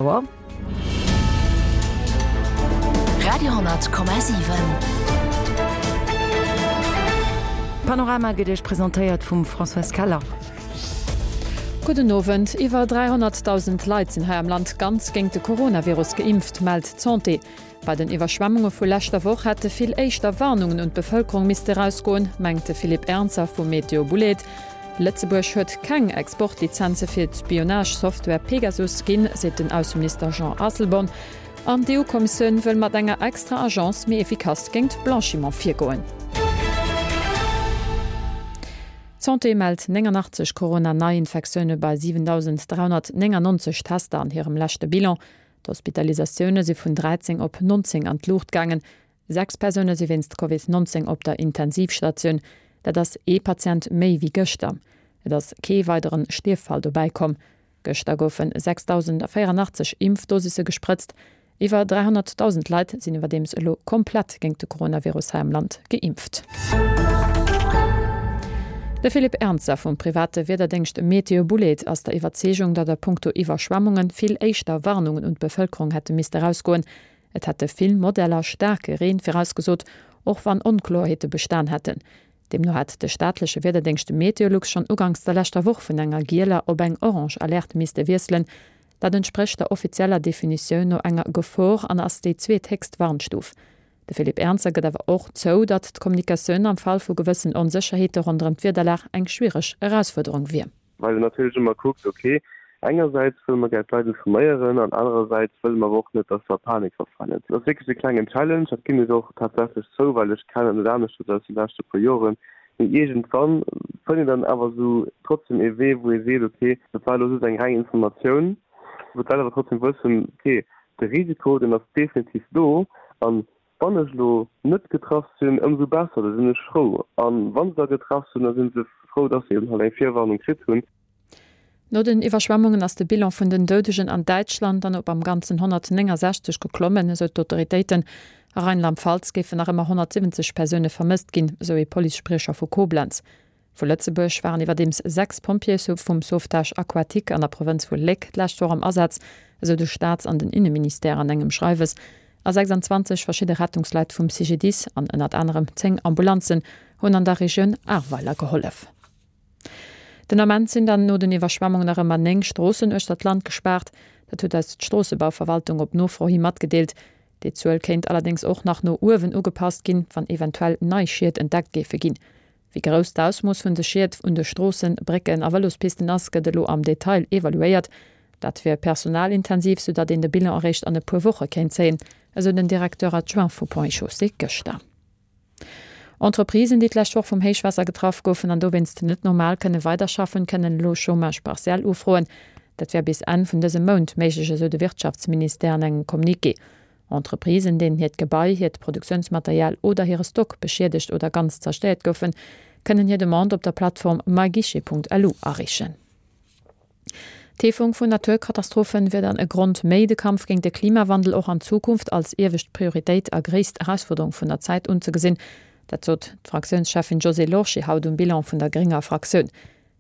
Auer. Radio,7. Panorama gëtt Iech presentéiert vum Françoise Keller. Gudden Owend. Iwwer 300.000 Leit sinn hei am Land ganz géint de Coronavirus geimpft, mellt d'Santé. Bei den Iwwerschwemmunge vu leschter Woch hätte vill éischter Warnungen un d'Bevëlkerung misste erausgoen, mengt de Philippe Ernzer vu Météo Boulaide. Lëtzebuerg huet keng Exportlizenze fir d'Spionage-Software Pegasus ginn, seet den Ausseminister Jean Asselborn. An d'EU-Kommissioun wëll mat enger extra Agence méi efficace géint Blanchiment virgoen. D'Santé mellt 89 Corona-Neiinfektioune bei 7.399 Tester an hirem leschte Bilan. D'Hospitalisatioune si vun 13 op 19 an d'Luucht gaangen. 6 Persoune si wéinst Covid 19 op der Intensivstatioun. Dat ass ee Patient méi wéi gëschter. Et ass kee weidere Stierffall dobäi komm. Gëschter goufe 6.084 Impfdosisse gesprëtzt. Iwwer 300.000 Leit sinn iwwerdeems elo komplett géint de Coronavirus hei am Land geimpft. De Philippe Ernzer vum private Wiederdéngscht Meteobouled ass der Iwwerzeegung, datt a punkto Iwwerschwemmunge vill éischter Warnungen un d'Bevëlkerung hätte misste erausgoen. Et hätte vill Modeller staarke Reen virausgesot, och wann Onkloerheete bestan hätten. Deemno hätt de staatleche Wiederdéngscht Meteolux schonn uganks der leschter Woch vun enger gieler op eng orange Alerte misste wiesselen. Dat entsprécht der offizieller Definitioun no enger Gefor an ass déi zweethéchst Warnstuf. De Philippe Ernzer gëtt awer och zou, datt d'Kommunikatioun am Fall vu gewëssen Onsécherheete ronderëm d'Wiederlag eng schwiereg Erausfuerderung wier. Well een natierlech ëmmer kuckt, ok, engersäits wëlle mer gär d'Leit informéieren an anerersäits wëlle mer awer och net, datt se a Panik verfalen. Dat ass wierklech e klengen Challenge, dat ginn ech och tatsächlech zou, well ech kennen et net aneschters aus de leschte puer Joren. Mee iergendwann fënnt een dann awer esou trotzdem ee Wee, wou ee seet, ok, dat war elo just eng reng Informatioun, wou d'Leit awer trotzdem wëssen, ok, De Risiko, deen ass definitiv do. An wann ech elo net getraff sinn, ëmsou besser, da sinn ech frou. A wa se da getraff sinn, da si se frou, dass se eben halt eng Virwarnung kritt hunn. No den Iwwerschwemmungen ass de Bilan vun den Doudegen an Däitschland dann op am Ganzen 169 geklommen, esou d'Autoritéiten. A Rheinland-Pfalz géifen nach ëmmer 170 Persoune vermësst ginn, esou ee Policespriecher vu Koblenz. Vu Lëtzebuerg waren iwwerdeems 6 Pompjeeë vum Sauvetage aquatique an der Provënz vu Léck d'lescht Woch am Asaz, esou de Staats an den Inneministère an engem Schreiwes. A 26 verschidde Rettungsleit vum CGDIS an ënnert anerem 10 Ambulanzen hunn an der Regioun Ahrweiler gehollef. Den Ament sinn dann no den Iwwerschwemmungen nach ëmmer 9 Stroossen uechter d'Land gespaart. Dat huet eis d'Stroossebauverwaltung op Nofro hi matgedeelt. Déi Zuel kéint allerdéngs och nach no uewen ugepasst ginn, wann eventuell nei Schied entdeckt géife ginn. Wéi grouss d'Ausmooss vun de Schied un de Stroossen, Brécken a Vëlospisten ass, gëtt elo am Detail evaluéiert. Dat wier personalintensiv, soudatt een de Bilan eréischt an e puer Woche kéint zéien, esou den Directeur adjoint vu Ponts et Chaussées gëschter. Entreprisen, déi d'lescht Woch vum Héichwaasser getraff goufen an dowéinst net normal kënne weiderschaffen, kënnen elo Chômage partiel ufroen. Dat wär bis Enn vun dësem Mount méiglech, esou de Wirtschaftsministère an engem Communiqué. Entreprisen, deenen hiert Gebai, hiert Produktiounsmaterial oder hire Stock beschiedegt oder ganz zerstéiert goufen, kënnen hir Demande op der Plattform myguichet.lu areechen. D'Heefung vun Naturkatastrophen wier dann e Grond méi, de Kampf géint de Klimawandel och an Zukunft als iewescht Prioritéit a gréisst Erausfuerderung vun der Zäit unzegesinn. Dat sot d'Fraktiounscheffin Josée Lorsché haut um Bilan vun der grénger Fraktioun.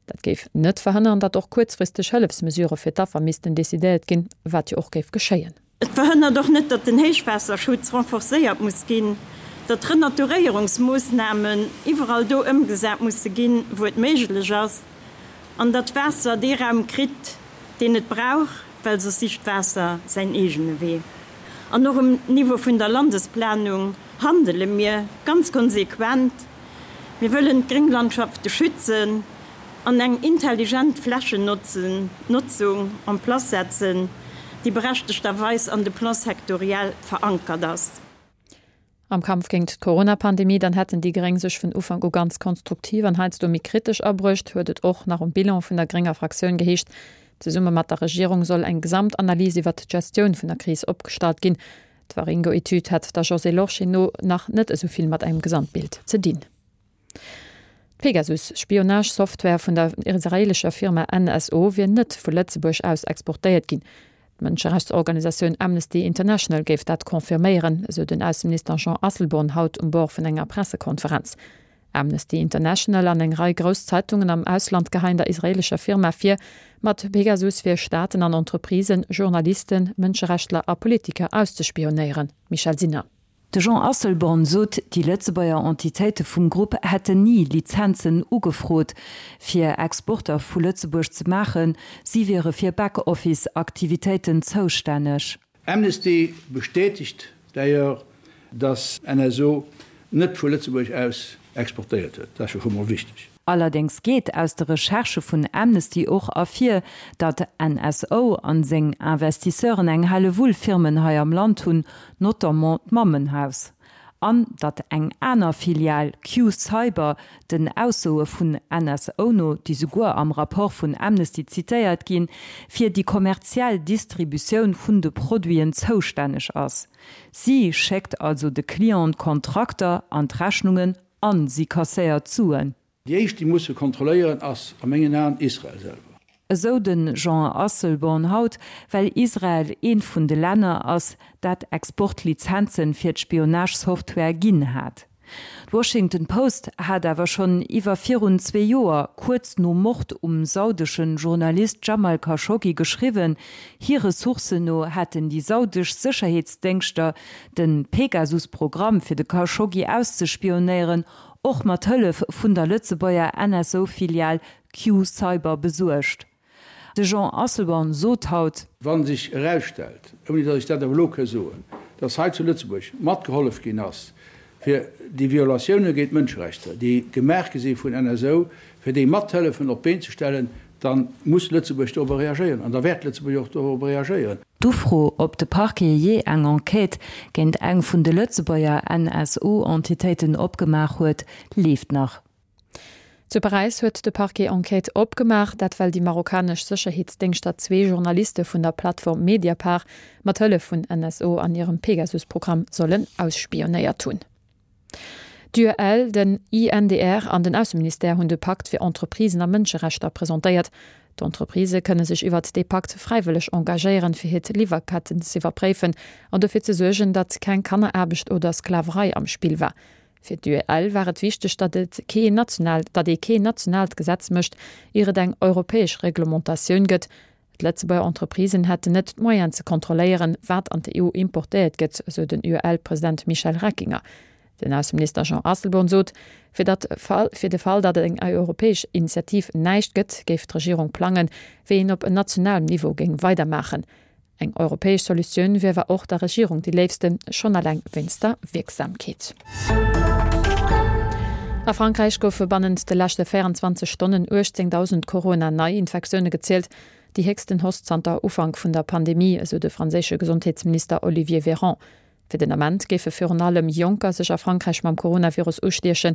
Dat géif net verhënneren, datt och kuerzfristeg Hëllefsmesurë fir d'Affer missten decidéiert ginn, wat jo och géif geschéien. Et verhënnert och net, datt den Héichwaasserschutz renforcéiert muss ginn, datt Renaturéierungsmoossnamen iwwerall do ëmgesat musse ginn, wou et méiglech ass, an datt d'Waasser dee Raum kritt, deen et brauch, well soss sicht d'Waasser säin eegene Wee. An och um Niveau vun der Landesplanung handele mir ganz konsequent. Mir wëllen d'Grénglandschafte schützen an eng intelligent Flächennotzung en place setzen, déi berechtegterweis an de Plans sectoriels verankert ass. Am Kampf géint d'Corona-Pandemie dann hätten déi Gréng sech vun Ufank u ganz konstruktiv an heiansdo méi kritesch abruecht, huet et och nach um Bilan vun der grénger Fraktioun geheescht. Zesumme mat der Regierung soll eng Gesamtanalys iwwert d'Gestioun vun der Kris opgestallt ginn. D'Waringo-Etüd hätt der Josée Lorsché no nach net esou vill mat engem Gesamtbild ze dinn. D'Pegasus-Spionage-Software vun der israeelescher Firma NSO wier net vu Lëtzebuerg aus exportéiert ginn. D'Mënscherechtsorganisatioun Amnesty International géif dat confirméieren, esou den Ausseminister Jean Asselborn haut um Bord vun enger Pressekonferenz. Amnesty International an eng Rei grouss Zeitungen am Ausland geheien der israeelescher Firma vir, mat Pegasus fir Staaten an Entreprisen, Journalisten, Mënscherechtler a Politiker auszespionéieren. Michèle Sinner. De Jean Asselborn sot, déi Lëtzebuerger Entitéite vum Grupp hätten ni Lizenzen ugefrot, fir Exporter vu Lëtzebuerg ze maachen. Si wiere fir Back-Office-Aktivitéiten zoustänneg. Amnesty bestätegt d'ailleurs, dass NSO net vu Lëtzebuerg aus exportéiert huet. Dat ass jo scho mol wichteg. Allerdéngs geet aus de Recherchë vun Amnesty och ervir, datt NSO an seng Investisseuren eng Hellewull Firmen hei am Land hunn, notamment d'Mammenhaus. An datt eng aner Filial, Q-Cyber, den Aussoe vun NSO no, déi souguer am Rapport vun Amnesty zitéiert ginn, fir déi kommerziell Distributioun vun de Produiten zoustänneg ass. Si schéckt also de Clienten d'Kontrakter an d'Rechnungen a si kasséiert d'Suen. Déi éischt, déi musse kontrolléieren, ass a mengen Aen Israel selwer. Esou de Jean Asselborn haut, well Israel eent vun de Länner ass, dat Exportlizenzen fir d'Spionage-Software ginn hat. D'Washington Post hat awer schonn iwwer virun zwee Joer, kuerz nom Mord um saudesche Journalist Jamal Khashoggi geschriwwen, hire Sourcen no hätten déi saudesch Sécherheetsdéngschter de Pegasus-Programm fir de Khashoggi auszespionéieren och mat Hëllef vun der Lëtzebuerger NSO-Filial Q-Cyber besuergt. De Jean Asselborn sot haut. Wa sech erausstellt, ouni datt ech dat awer elo ka soen, datt hei zu Lëtzebuerg matgehollef ginn ass, fir déi Violatioune géint d'Mënscherechter, déi gemaach gi si vun NSO, fir déi mathëllefen op d'Been ze stellen, da muss Lëtzebuerg dorobber reagéieren an da wäert Lëtzebuerg och dorobber reagéieren. D'Ufro, ob de Parquet jee eng Enquête géint eng vun de Lëtzebuerger NSO-Entitéiten opgemaach huet, leeft nach. Zu Paräis huet de Parquet Enquête opgemaach, dat well déi marokkanesch Sécherheetsdéngschter zwee Journaliste vun der Plattform Mediapart mat Hëllef vun NSO an hirem Pegasus-Programm sollen ausspionéiert hunn. D'UEL, den INDR an den Ausseministère hunn de Pakt fir Entreprisen a Mënscherechter presentéiert. D'Entreprisë kënne sech iwwert dee Pakt fräiwëlleg engagéieren, fir hiert Liwwerketten z'iwwerpréifen an dofir ze suergen, datt keng Kanneraarbecht oder Sklaverei am Spill war. Fir d'UEL war et wichteg, datt et kee national, datt ee keen nationaalt Gesetz mécht, ier et eng europäesch Reglementatioun gëtt. D'Lëtzebuerger Entreprisen hätten net d'Moyenen ze kontrolléieren, wat an d'EU importéiert gëtt, sou den UEL-President Michel Reckinger. Den Ausseminister Jean Asselborn sot, fir datt fir de Fall, datt eng europäesch Initiativ näischt gëtt, géif d'Regierung plangen, wéi een op nationalem Niveau géing weidermaachen. Eng europäesch Solutioun wier awer och der Regierung déi léifsten, schonn eleng wéinst der Wierksamkeet. A Frankräich goufe bannent de leschte 24 Stonnen 18.000 Corona-Neiinfektioune gezielt, déi héchsten Hausse zanter Ufank vun der Pandemie, esou de franséische Gesondheetsminister Olivier Véran. Fir den Ament géife virun allem Jonker sech a Frankräich mam Coronavirus ustiechen,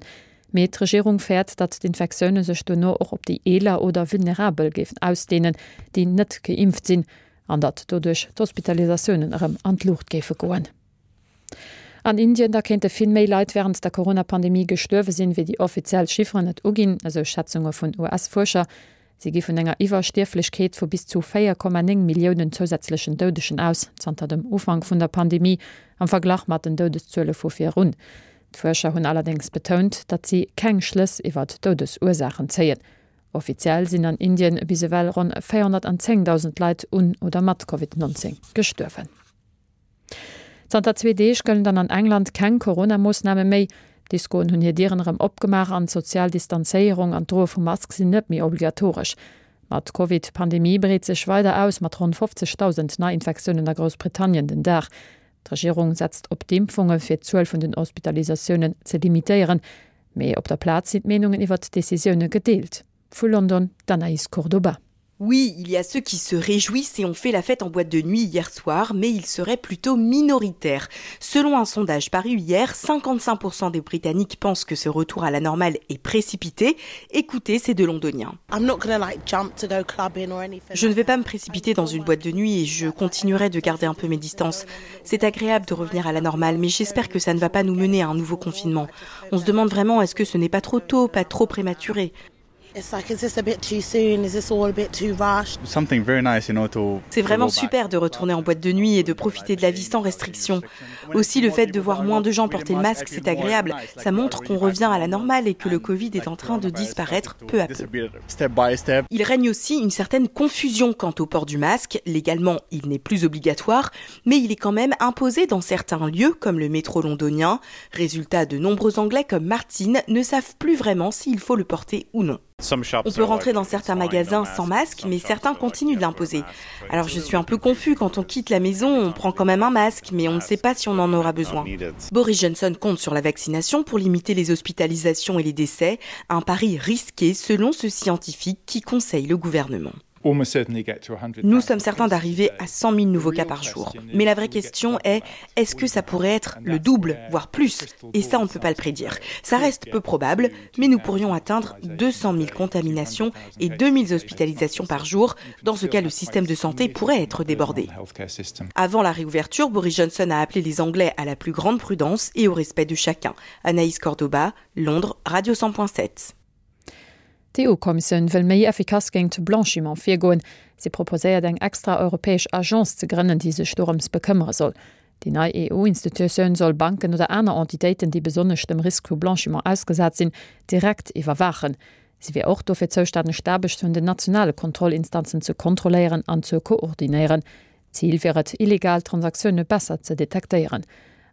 mee d'Regierung fäert, datt d'Infektioune sech duerno och op déi Eeler oder Vulnerabel géifen ausdeenen, déi net geimpft sinn, an datt doduerch d'Hospitalisatiounen erëm an d'Luucht géife goen. An Indien da kéinte vill méi Leit wärend der Corona-Pandemie gestuerwe sinn, wéi déi offiziell Chifferen et uginn, esou Schätzunge vun US-Fuerscher. Si gi vun enger Iwwerstierflechkeet vu bis zu 4,9 Milliounen zousätzlechen Doudegen aus, zanter dem Ufank vun der Pandemie, am Verglach mat den Doudeszuele vu virun. D'Fuerscher hunn allerdéngs betount, datt si keng Schlëss iwwert d'Doudesursaachen zéien. Offiziell sinn an Indien bis ewell ronn 410.000 Leit un oder mat Covid 19 gestuerwen. Zanter zwee Deeg gëllen dann an England keng Corona-Moossname méi. D'Diskoen hunn hir Dieren erëm opgemaach an d'sozial Distanzéierung an d'Droe vu Mask sinn net méi obligatoresch. Ma d'Covid-Pandemie breet sech weider aus, mat ronn 50.000 Neiinfektiounen a Groussbritannien den Dag. D'Regierung setzt op d'Impfunge fir d'Zuel vun den Hospitalisatiounen ze limitéieren. Mee op der Plaz sinn d'Meenungen iwwert d'Decisioune gedeelt. Vu London d'Anaïs Cordoba. Oui, il y a ceux qui se réjouissent et ont fait la fête en boîte de nuit hier soir, mais ils seraient plutôt minoritaires. Selon un sondage paru hier, 55% des Britanniques pensent que ce retour à la normale est précipité. Écoutez ces deux Londoniens. Je ne vais pas me précipiter dans une boîte de nuit et je continuerai de garder un peu mes distances. C'est agréable de revenir à la normale, mais j'espère que ça ne va pas nous mener à un nouveau confinement. On se demande vraiment est-ce que ce n'est pas trop tôt, pas trop prématuré. C'est vraiment super de retourner en boîte de nuit et de profiter de la vie sans restriction. Aussi le fait de voir moins de gens porter le masque, c'est agréable. Ça montre qu'on revient à la normale et que le Covid est en train de disparaître peu à peu. Il règne aussi une certaine confusion quant au port du masque. Légalement, il n'est plus obligatoire, mais il est quand même imposé dans certains lieux comme le métro londonien. Résultat, de nombreux Anglais comme Martine ne savent plus vraiment s'il faut le porter ou non. On peut rentrer dans certains magasins sans masque, mais certains continuent de l'imposer. Alors je suis un peu confus quand on quitte la maison, on prend quand même un masque, mais on ne sait pas si on en aura besoin. Boris Johnson compte sur la vaccination pour limiter les hospitalisations et les décès, un pari risqué selon ce scientifique qui conseille le gouvernement. Nous sommes certains d'arriver à 100 000 nouveaux cas par jour. Mais la vraie question est est-ce que ça pourrait être le double, voire plus Et ça, on ne peut pas le prédire. Ça reste peu probable, mais nous pourrions atteindre 200 000 contaminations et 2 000 hospitalisations par jour. Dans ce cas, le système de santé pourrait être débordé. Avant la réouverture, Boris Johnson a appelé les Anglais à la plus grande prudence et au respect de chacun. Anaïs Cordoba, Londres, Radio 100.7. D'EU-Kommissioun wëll méi effikass géingt Blanchiment virgoen. Si proposéiert eng extra europäesch Agence ze grënnen, déi sech dorëms bekëmmere soll. Déi nei EU-Institutioun soll Banken oder aner Entitéiten, déi besonnesch dem Risk vu Blanchiment ausgesat sinn, direkt iwwerwaachen. Si wier och dofir zoustänneg, d'Aarbecht vun den nationale Kontrollinstanzen ze kontrolléieren an ze koordinéieren. Zil wier et, illegal Transaktioune besser ze detektéieren.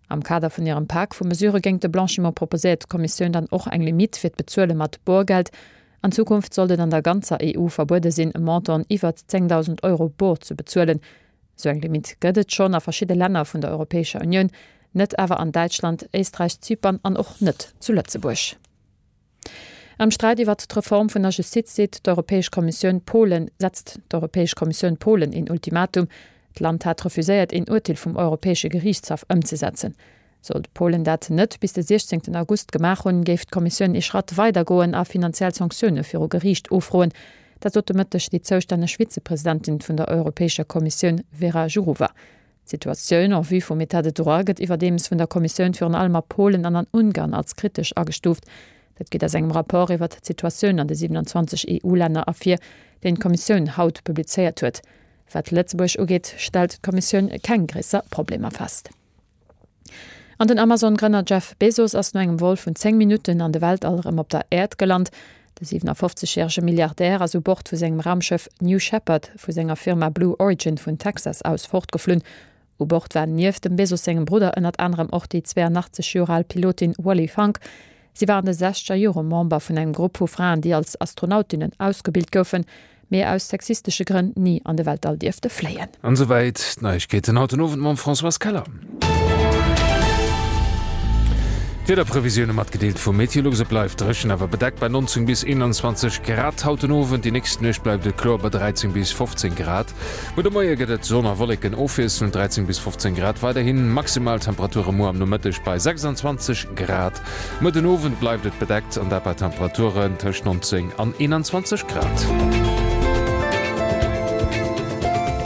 Am Kader vun hirem Pak vu Mesurë géingt de Blanchiment proposéiert d'Kommissioun dann och eng Limitt fir d'Bezuele mat Borgeld. An Zukunft sollt et an der ganzer EU verbuede sinn, Montanten iwwert 10.000 Euro bor ze bezuelen. Esou eng Limitt gëtt et schonn a verschidde Länner vun der Europäescher Unioun, net awer an Däitschland, Éisträich, Zypern an och net zu Lëtzebuerg. Am Sträit iwwert d'Reform vun der Justiz seet d'Europäesch Kommissioun Polen setzt d'Europäesch Kommissioun Polen een Ultimatum. D'Land hat refuséiert een Urteel vum Europäesche Geriichtshaff ëmzesetzen. Sollt Polen dat net bis de 16 August gemaach hunn, géif d'Kommissioun ee Schratt weider goen a finanziell Sanktioune viru Geriicht ufroen. Dat sot de Mëtteg déi zoustänneg Vizepresidentin vun der Europäescher Kommissioun Vera Jourova. D'Situatioun en vue vum Etat de droit gëtt iwwerdeems vun der Kommissioun virun allem a Polen an an Ungarn als kritesch agestuuft. Dat geet aus engem Rapport iwwert d'Situatioun an de 27 EU-Länner ervir, deen d'Kommissioun haut publizéiert huet. Wat Lëtzebuerg ugeet, stellt d'Kommissioun keng gréisser Problemer fest. An den Amazon-Grënner Jeff Bezos ass no engem Vol vun 10 Minutten an de Weltall erëm op der Äerd gelant. De 57 järege Milliardär ass u Bord vu sengem Raumschëff New Shepard vu senger Firma Blue Origin vun Texas aus fortgeflunn. U Bord war nieft dem Bezos sengem Brudder ënnert anerem och déi 82 Joer al Pilotin Wally Funk. Si war an de sechzeger Jore Member vun engem Grupp vu Fraen, déi als Astronautinnen ausgebilt goufen, mee aus sexistesche Grënn ni an de Weltall dierfte fléien. An esouwäit d'Neiegkeeten haut den Owend mam Françoise Keller. D'Wiederprevisioune matgedeelt vu Meteolux, Et bleift dréchen, awer bedeckt bei 19 bis 21 Grad haut den Owend. Déi nächst Nuecht bleift et kloer bei 13 bis 15 Grad. Muer de Moie gëtt et Sonn a Wolleken ofwiesselnd, 13 bis 15 Grad weiderhin. Maximaltemperature muer am Nomëtteg bei 26 Grad. Muer den Owend bleift et bedeckt an dat bei Temperaturen tëscht 19 an 21 Grad.